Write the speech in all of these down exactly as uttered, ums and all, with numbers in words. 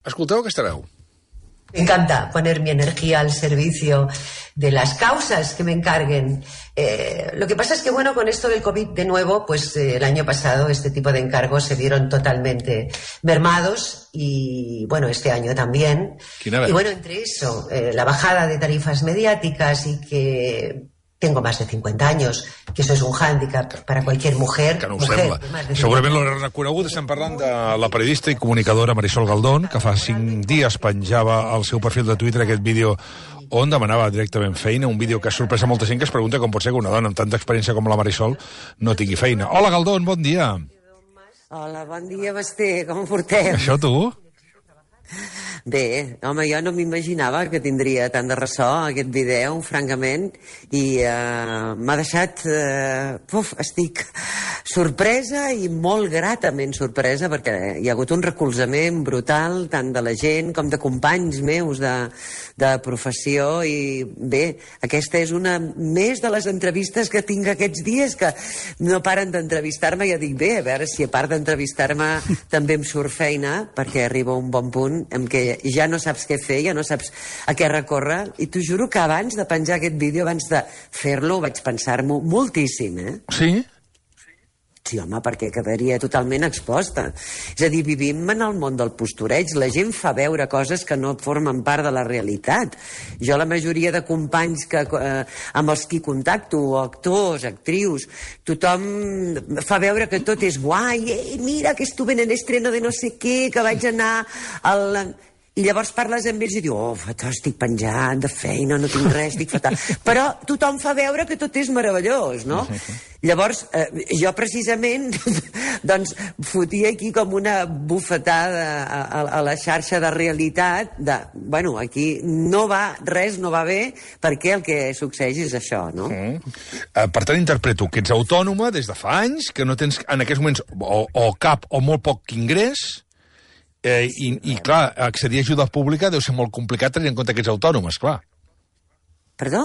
Escolteu aquesta veu. Me encanta poner mi energía al servicio de las causas que me encarguen. Eh, lo que pasa es que, bueno, con esto del COVID, de nuevo, pues eh, el año pasado este tipo de encargos se vieron totalmente mermados y, bueno, este año también. Y, bueno, entre eso, eh, la bajada de tarifas mediáticas y que tengo más de cincuenta años, que eso es un hándicap para cualquier mujer. Que no ho mujer sembla. Segurament l'haurà reconegut. Estem parlant de la periodista i comunicadora Marisol Galdón, que fa cinc dies penjava al seu perfil de Twitter aquest vídeo on demanava directament feina, un vídeo que ha sorprès a molta gent que es pregunta com pot ser que una dona amb tanta experiència com la Marisol no tingui feina. Hola, Galdón, bon dia. Hola, bon dia, Basté, com ho portem? Això tu? Bé, home, jo no m'imaginava que tindria tant de ressò aquest vídeo, francament, i uh, m'ha deixat... Uh, puf, estic sorpresa i molt gratament sorpresa, perquè hi ha hagut un recolzament brutal, tant de la gent com de companys meus de, de professió, i bé, aquesta és una més de les entrevistes que tinc aquests dies, que no paren d'entrevistar-me. Jo dic, bé, a veure si a part d'entrevistar-me també em surt feina, perquè arriba un bon punt en què ja no saps què fer, ja no saps a què recórrer, i t'ho juro que abans de penjar aquest vídeo, abans de fer-lo, vaig pensar-m'ho moltíssim, eh? Sí? Sí, home, perquè quedaria totalment exposta. És a dir, vivim en el món del postureig. La gent fa veure coses que no formen part de la realitat. Jo la majoria de companys que, eh, amb els qui contacto, actors, actrius, tothom fa veure que tot és guai. Ei, mira, que estuve en el estreno de no sé què, que vaig anar al... I llavors parles amb ells i diu, oh, fatal, estic penjant de feina, no tinc res, estic fatal. Però tothom fa veure que tot és meravellós, no? Llavors, eh, jo precisament, doncs, fotia aquí com una bufetada a, a, a la xarxa de realitat de, bueno, aquí no va, res no va bé, perquè el que succeeix és això, no? Mm. Uh, per tant, interpreto que ets autònoma des de fa anys, que no tens en aquests moments o, o cap o molt poc ingrés. Eh, i, i, clar, accedir a ajuda pública deu ser molt complicat tenint en compte que ets autònom, esclar. Perdó?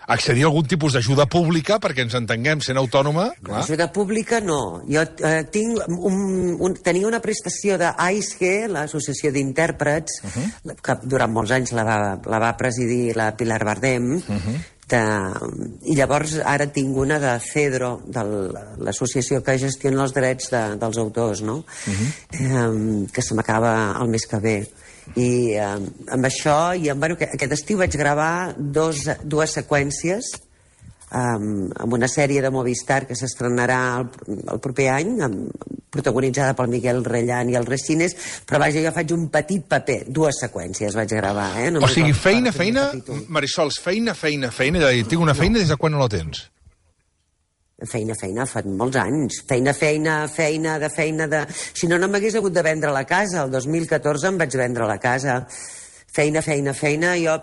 Accedir a algun tipus d'ajuda pública, perquè ens entenguem, sent autònoma... Clar. Ajuda pública, no. Jo eh, tinc un, un, tenia una prestació d'AISGE, l'Associació d'Intèrprets, uh -huh. que durant molts anys la va, la va presidir la Pilar Bardem, uh -huh. de, i llavors ara tinc una de CEDRO, de l'associació que gestiona els drets de, dels autors, no? Uh-huh. eh, que se m'acaba el mes que ve. I eh, amb això, i amb, bueno, aquest estiu vaig gravar dos, dues seqüències um, amb una sèrie de Movistar que s'estrenarà el, el proper any, amb, protagonitzada pel Miguel Rellán i el Resines, però vaja, jo faig un petit paper, dues seqüències vaig gravar, eh? O sigui, feina, feina, Marisol, feina, feina, feina, ja tinc una feina, des de quan no la tens? Feina, feina, fa molts anys. Feina, feina, feina, de feina, de... Si no, no m'hagués hagut de vendre la casa. El dos mil catorze em vaig vendre la casa. Feina, feina, feina. Jo,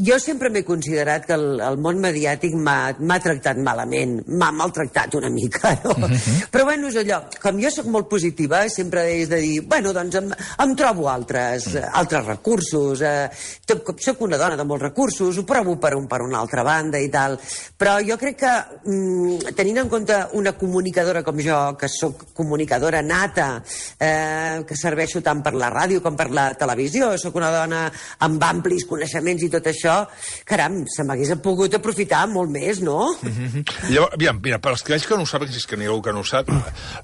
jo sempre m'he considerat que el, el món mediàtic m'ha tractat malament, m'ha maltractat una mica, no? Uh-huh. Però bueno, és allò, com jo sóc molt positiva, sempre he de dir, bueno, doncs em, em trobo altres, uh-huh. altres recursos, eh, sóc una dona de molts recursos, ho provo per, un, per una altra banda i tal, però jo crec que, mm, tenint en compte una comunicadora com jo, que sóc comunicadora nata, eh, que serveixo tant per la ràdio com per la televisió, sóc una dona amb amplis coneixements i tot això, caram, se m'hagués pogut aprofitar molt més, no? Mm-hmm. Llavors, aviam, mira, per als que que no ho saben, si és que n'hi ha algú que no ho sap,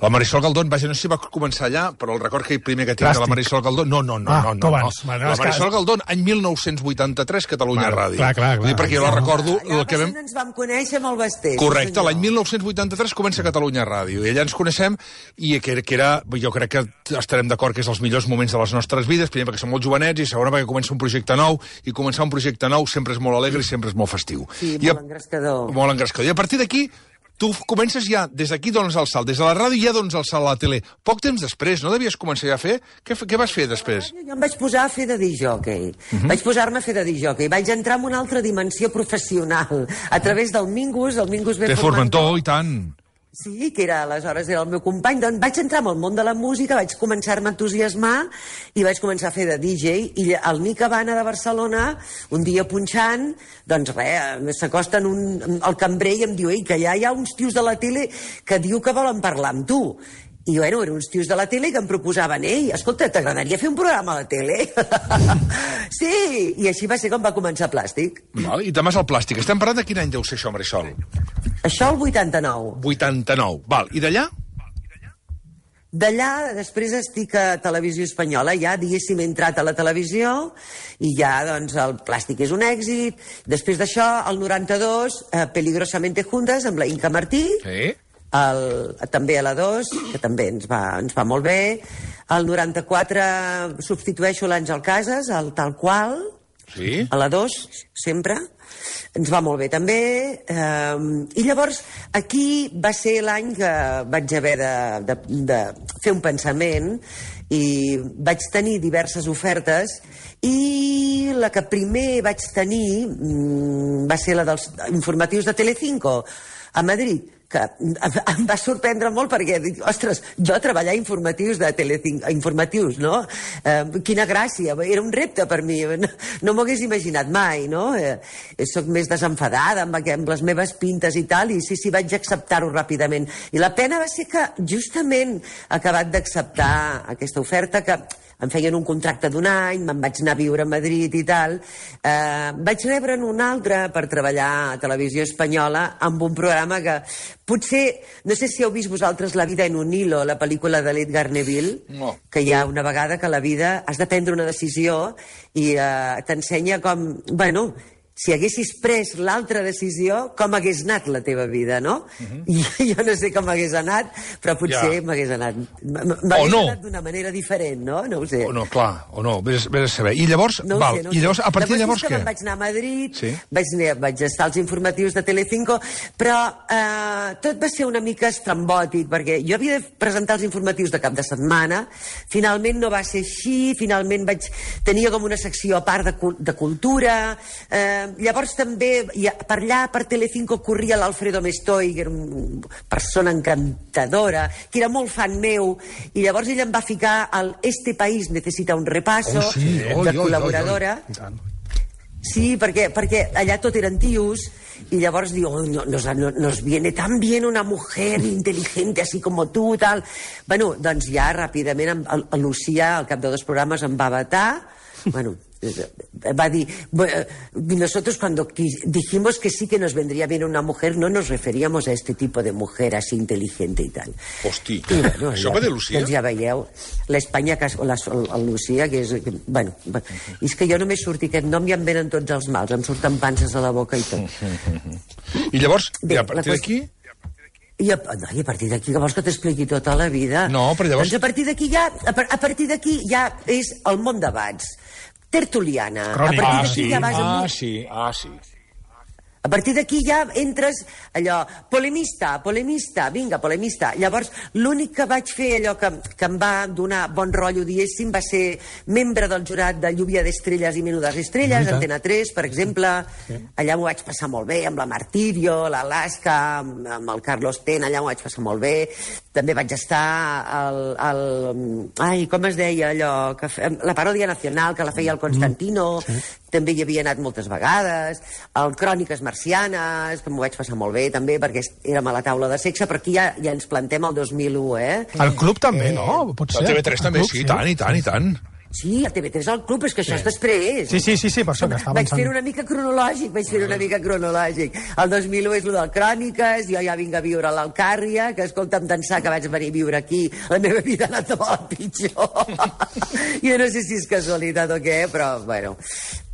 la Marisol Galdón, vaja, no sé si va començar allà, però el record que primer que tinc Plàstic. de la Marisol Galdón... No, no, no, ah, no, no, no. no. La Marisol Galdón, any mil nou-cents vuitanta-tres, Catalunya vale, Ràdio. Clar, clar, clar. Dir, perquè jo la recordo... Allà el que vam... ens vam conèixer amb el Basté. Correcte, l'any mil nou-cents vuitanta-tres comença Catalunya Ràdio, i allà ens coneixem, i que, que era, jo crec que estarem d'acord que és els millors moments de les nostres vides, primer perquè som molt jovenets, i segon perquè comença un projecte nou, i començar un projecte nou sempre és molt alegre i sempre és molt festiu. Sí, I molt a... engrescador. Molt engrescador. I a partir d'aquí, tu comences ja, des d'aquí dones el salt, des de la ràdio ja dones el salt a la tele. Poc temps després, no devies començar ja a fer? Què, què vas fer després? Jo em vaig posar a fer de discjòquei. Uh -huh. Vaig posar-me a fer de disjòquei. Vaig entrar en una altra dimensió professional. A través del Mingus, el Mingus ve Té Formentor, i tant. Sí, que era, aleshores era el meu company. Doncs vaig entrar en el món de la música, vaig començar-me a entusiasmar i vaig començar a fer de D J. I el Mica Habana de Barcelona, un dia punxant, doncs res, s'acosten un, el cambrer i em diu, ei, que ja hi ha uns tios de la tele que diu que volen parlar amb tu. I, bueno, eren uns tios de la tele que em proposaven, ei, escolta, t'agradaria fer un programa a la tele? Sí, i així va ser com va començar Plàstic. Val, i temes el plàstic. Estem parlant de quin any deu ser això, Marisol? Això el vuitanta-nou. vuitanta-nou. Val, i d'allà? D'allà, després estic a Televisió Espanyola, ja, diguéssim, he entrat a la televisió i ja, doncs, el Plàstic és un èxit. Després d'això, el noranta-dos, eh, Peligrosamente Juntas, amb la Inca Martí, Sí. el, també a la dos, que també ens va, ens va molt bé. El noranta-quatre substitueixo l'Àngel Casas, el Tal Qual, Sí. a la dos, sempre. Ens va molt bé, també. Eh, I llavors, aquí va ser l'any que vaig haver de, de, de fer un pensament i vaig tenir diverses ofertes i la que primer vaig tenir mm, va ser la dels informatius de Telecinco a Madrid, que em va sorprendre molt perquè dic, ostres, jo treballar informatius de Telecinco, informatius, no? Eh, quina gràcia, era un repte per mi, no, no m'ho hagués imaginat mai, no? Eh, soc més desenfadada amb, amb les meves pintes i tal, i sí, sí, vaig acceptar-ho ràpidament. I la pena va ser que justament he acabat d'acceptar aquesta oferta, que em feien un contracte d'un any, me'n vaig anar a viure a Madrid i tal. Eh, vaig rebre'n un altre per treballar a Televisió Espanyola amb un programa que potser, no sé si heu vist vosaltres La vida en un hilo, la pel·lícula de l'Edgar Neville, no. Que hi ha una vegada que a la vida has de prendre una decisió i eh, t'ensenya com, bueno, si haguessis pres l'altra decisió, com hagués anat la teva vida, no? Uh-huh. I jo no sé com hagués anat, però potser ja. m'hagués anat... M'hagués no. anat d'una manera diferent, no? No ho sé. O no, clar, o no, vés, vés a saber. I llavors, no val, sé, no i llavors, a partir de llavors què? Vaig anar a Madrid, sí. vaig, vaig estar als informatius de Telecinco, però eh, tot va ser una mica estrambòtic, perquè jo havia de presentar els informatius de cap de setmana, finalment no va ser així, finalment vaig... Tenia com una secció a part de, de cultura, eh, llavors també, per allà, per Telecinco, corria l'Alfredo Mestoy, que era una persona encantadora, que era molt fan meu, i llavors ell em va ficar al Este país necesita un repaso, oh, sí. oh, de oh, col·laboradora. Oh, oh, oh. Sí, perquè, perquè allà tot eren tios, y llavors digo, oh, no, nos, nos viene tan bien una mujer inteligente así como tú, tal. Bueno, doncs ja ràpidament el, el Lucía, al cap de dos programes, em va vetar. Bueno, va a decir, nosotros cuando dijimos que sí que nos vendría bien una mujer, no nos referíamos a este tipo de mujer así inteligente y tal. Hosti, I, bueno, això ja, va de Lucía? Doncs ja veieu, l'Espanya, el Lucía, que és... Que, bueno, i és que jo només surti aquest nom i em venen tots els mals, em surten panses a la boca i tot. I llavors, bé, i a partir d'aquí... I a, no, i a partir d'aquí, que vols que t'expliqui tota la vida? No, però llavors... Doncs a partir d'aquí ja, a, a partir d'aquí ja és el món debats. Tertuliana. Crònica. A partir Ah, d'aquí sí, ja vas ah, amb... sí, ah, sí. A partir d'aquí ja entres allò, polemista, polemista, vinga, polemista. Llavors, l'únic que vaig fer, allò que, que em va donar bon rotllo, diguéssim, va ser membre del jurat de Lluvia d'Estrelles i Menudes Estrelles, Antena tres, per exemple. Sí. Allà m'ho vaig passar molt bé, amb la Martirio, l'Alaska, amb, amb el Carlos Ten, allà m'ho vaig passar molt bé. També vaig estar al... al ai, com es deia allò? Que fe, la paròdia nacional, que la feia el Constantino, mm, sí. També hi havia anat moltes vegades. El Cròniques Marcianes, que m'ho vaig passar molt bé, també, perquè érem a la taula de sexe, però aquí ja, ja ens plantem el dos mil u, eh? El club també, eh... no? Pot ser. El T V tres també, club, sí, i tant, i tant, i tant. Sí, el T V tres al club, és que això sí. És després. Sí, sí, sí, sí, per això que està avançant. Vaig fer una mica cronològic, vaig fer una mica cronològic. El dos mil u és el del Cròniques, jo ja vinc a viure a l'Alcàrria, que escolta'm d'ençà que vaig venir a viure aquí, la meva vida ha anat de molt pitjor. Jo no sé si és casualitat o què, però, bueno...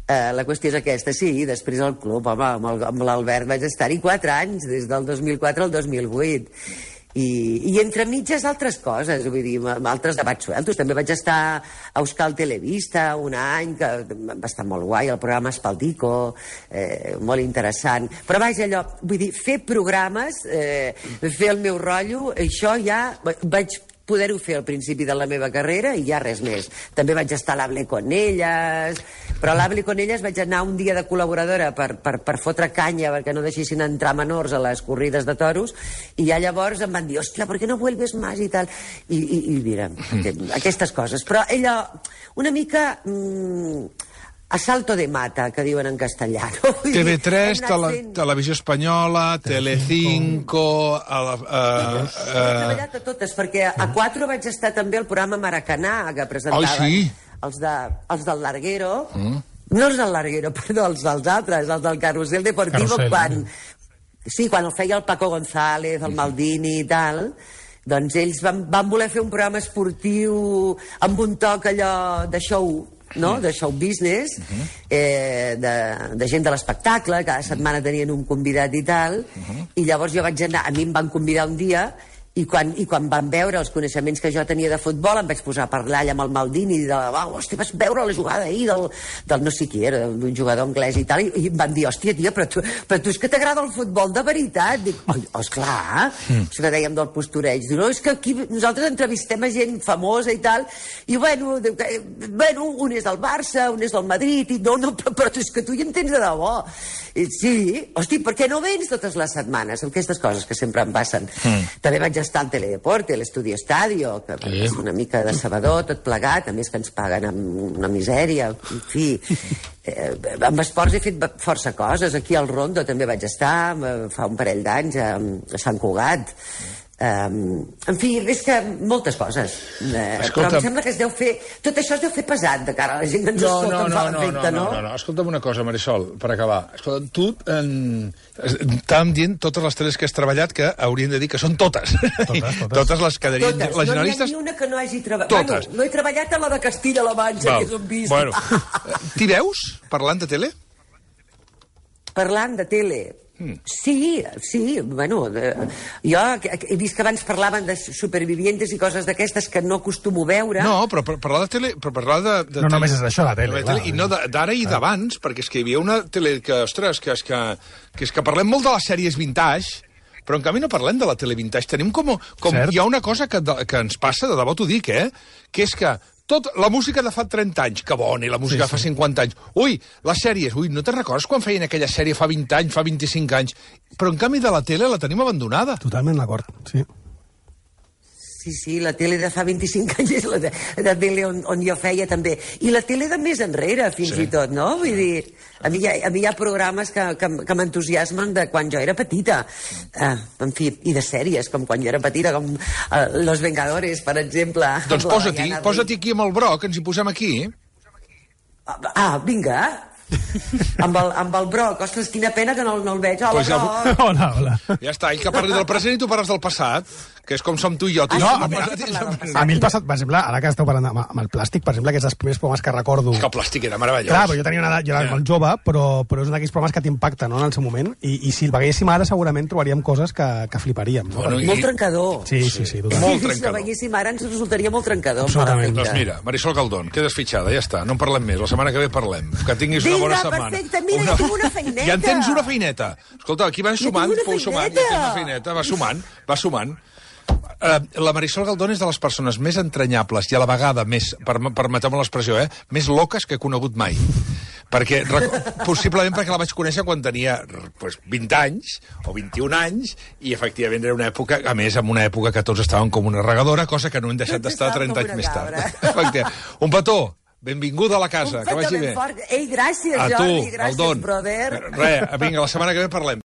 Uh, la qüestió és aquesta, sí, després al club, home, amb, el, amb l'Albert vaig estar-hi quatre anys, des del dos mil quatre al dos mil vuit. I, i entre mitges altres coses, vull dir, altres debats sueltos. També vaig estar a Euskal Televista un any, que va estar molt guai, el programa Espaldico, eh, molt interessant. Però vaja, allò, vull dir, fer programes, eh, fer el meu rotllo, això ja vaig poder-ho fer al principi de la meva carrera i ja res més. També vaig estar a l'Able con Elles, però a l'Able con Elles vaig anar un dia de col·laboradora per, per, per fotre canya perquè no deixessin entrar menors a les corrides de toros, i ja llavors em van dir, hòstia, ¿por qué no vuelves más? I tal. I, i, i mira, mm. aquestes coses. Però ella, una mica... Mmm, Asalto de mata, que diuen en castellà. No? T V tres, Hem anat tele, fent- Televisió Espanyola, Telecinco... A la, a, He treballat a totes, perquè a quatre vaig estar també al programa Maracanà, que presentaven Ai, sí? els, de, els del Larguero, mm. no els del Larguero, perdó, els dels altres, els del Carrusel Deportivo, Carrusel, quan, sí, quan el feia el Paco González, el Maldini i tal, doncs ells van, van voler fer un programa esportiu amb un toc allò de show, no? De show business, eh, de, de gent de l'espectacle, cada setmana tenien un convidat i tal, i llavors jo vaig anar, a mi em van convidar un dia, i quan, i quan van veure els coneixements que jo tenia de futbol em vaig posar a parlar allà amb el Maldini de, oh, hòstia, vas veure la jugada ahir del, del no sé qui era, d'un jugador anglès i tal, i, i em van dir, hòstia, tia, però tu, però tu és que t'agrada el futbol de veritat? Dic, oh, esclar, mm. això que dèiem del postureig. Diu, no, és que aquí nosaltres entrevistem a gent famosa i tal, i bueno, diu, que, bueno, un és del Barça, un és del Madrid, i no, no, però, però tu és que tu hi entens de debò. I, sí, hosti, per què no vens totes les setmanes? Aquestes coses que sempre em passen. Mm. També vaig estar al Teledeporte, a l'Estudio Estadio, que sí. És una mica de sabador, tot plegat, a més que ens paguen amb una misèria, en fi. Eh, amb esports he fet força coses. Aquí al Rondo també vaig estar, fa un parell d'anys, a, a Sant Cugat. Um, en fi, és que moltes coses. Uh, però em sembla que es deu fer... Tot això es deu fer pesat de cara a la gent que ens no, escolta, no, em no, fa no, l'efecte, no, no? no, no, no. Escolta'm una cosa, Marisol, per acabar. Escolta, tu eh, estàvem dient totes les teles que has treballat que haurien de dir que són totes. Totes, totes. Totes les que dirien... Totes. Les No generalistes... n'hi ha ni una que no hagi treballat. Totes. Bueno, no he treballat a la de Castilla-La Manxa, que és on vist. Bueno, t'hi veus parlant de tele? Parlant de tele... Mm. Sí, sí, bueno, de, jo he vist que abans parlaven de supervivientes i coses d'aquestes que no acostumo a veure. No, però per parlar de tele... Per parlar de, de No tele, només és això, la tele, de clar. I no d'ara i d'abans, perquè és que hi havia una tele que, ostres, que és que, que, és que parlem molt de les sèries vintage, però en canvi no parlem de la tele vintage. Tenim com... com hi ha una cosa que, que ens passa, de debò t'ho dic, eh? Que és que tot, la música de fa trenta anys, que bona, i la música sí, de fa cinquanta anys. Ui, les sèries, ui, no te'n recordes quan feien aquella sèrie fa vint anys, fa vint-i-cinc anys? Però en canvi de la tele la tenim abandonada. Totalment d'acord, sí. Sí, sí, la tele de fa vint-i-cinc anys és la, de, la tele on, on jo feia també. I la tele de més enrere, fins sí. i tot, no? Vull dir, a mi hi ha, a mi hi ha programes que, que, que m'entusiasmen de quan jo era petita. Uh, en fi, i de sèries, com quan jo era petita, com uh, Los Vengadores, per exemple. Doncs posa-t'hi, posa-t'hi aquí amb el broc, ens hi posem aquí. Ah, vinga. amb, el, amb el broc. Ostres, quina pena que no, no el veig. Hola, Pues ja, broc. Hola, hola. Ja està, ell que parli del present i tu parles del passat, que és com som tu i jo. Tu Ah, no, sí, a, mi, A mi el passat, per exemple, ara que esteu parlant amb, amb el plàstic, per exemple, que és dels primers programes que recordo... és que el plàstic era meravellós. Clar, però jo tenia una edat, jo era molt jove, però, però és un d'aquells programes que t'impacten, no?, en el seu moment, i, i si el veiéssim ara segurament trobaríem coses que, que fliparíem. No? Bueno, i- Molt trencador. Sí, sí, sí, totalment. Molt Sí, si trencador. el veiéssim ara ens resultaria molt trencador. Absolutament. per Doncs efecte. mira, Marisol Galdón, quedes fitxada, ja està, no en parlem més, la setmana que ve parlem. Que tinguis una Vinga, bona setmana. perfecte, mira, jo tinc una feineta. Ja en tens una feineta. Escolta, aquí vas Jo sumant, tinc una fou sumant, ja feineta. tens una feineta, va sumant, va sumant. Uh, la Marisol Galdón és de les persones més entranyables i a la vegada més, per, permeteu-me l'expressió, eh, més loques que he conegut mai. Perquè, rec- possiblement perquè la vaig conèixer quan tenia pues, vint anys o vint-i-un anys i efectivament era una època, a més, en una època que tots estaven com una regadora, cosa que no hem deixat Tots d'estar estàvem trenta com anys una més tard. cabra. Efectivament. Un petó, benvinguda a la casa, Un que vagi petó ben bé. fort. Ei, gràcies, A tu, Jordi, gràcies, Galdón. brother. Res, vinga, la setmana que ve parlem.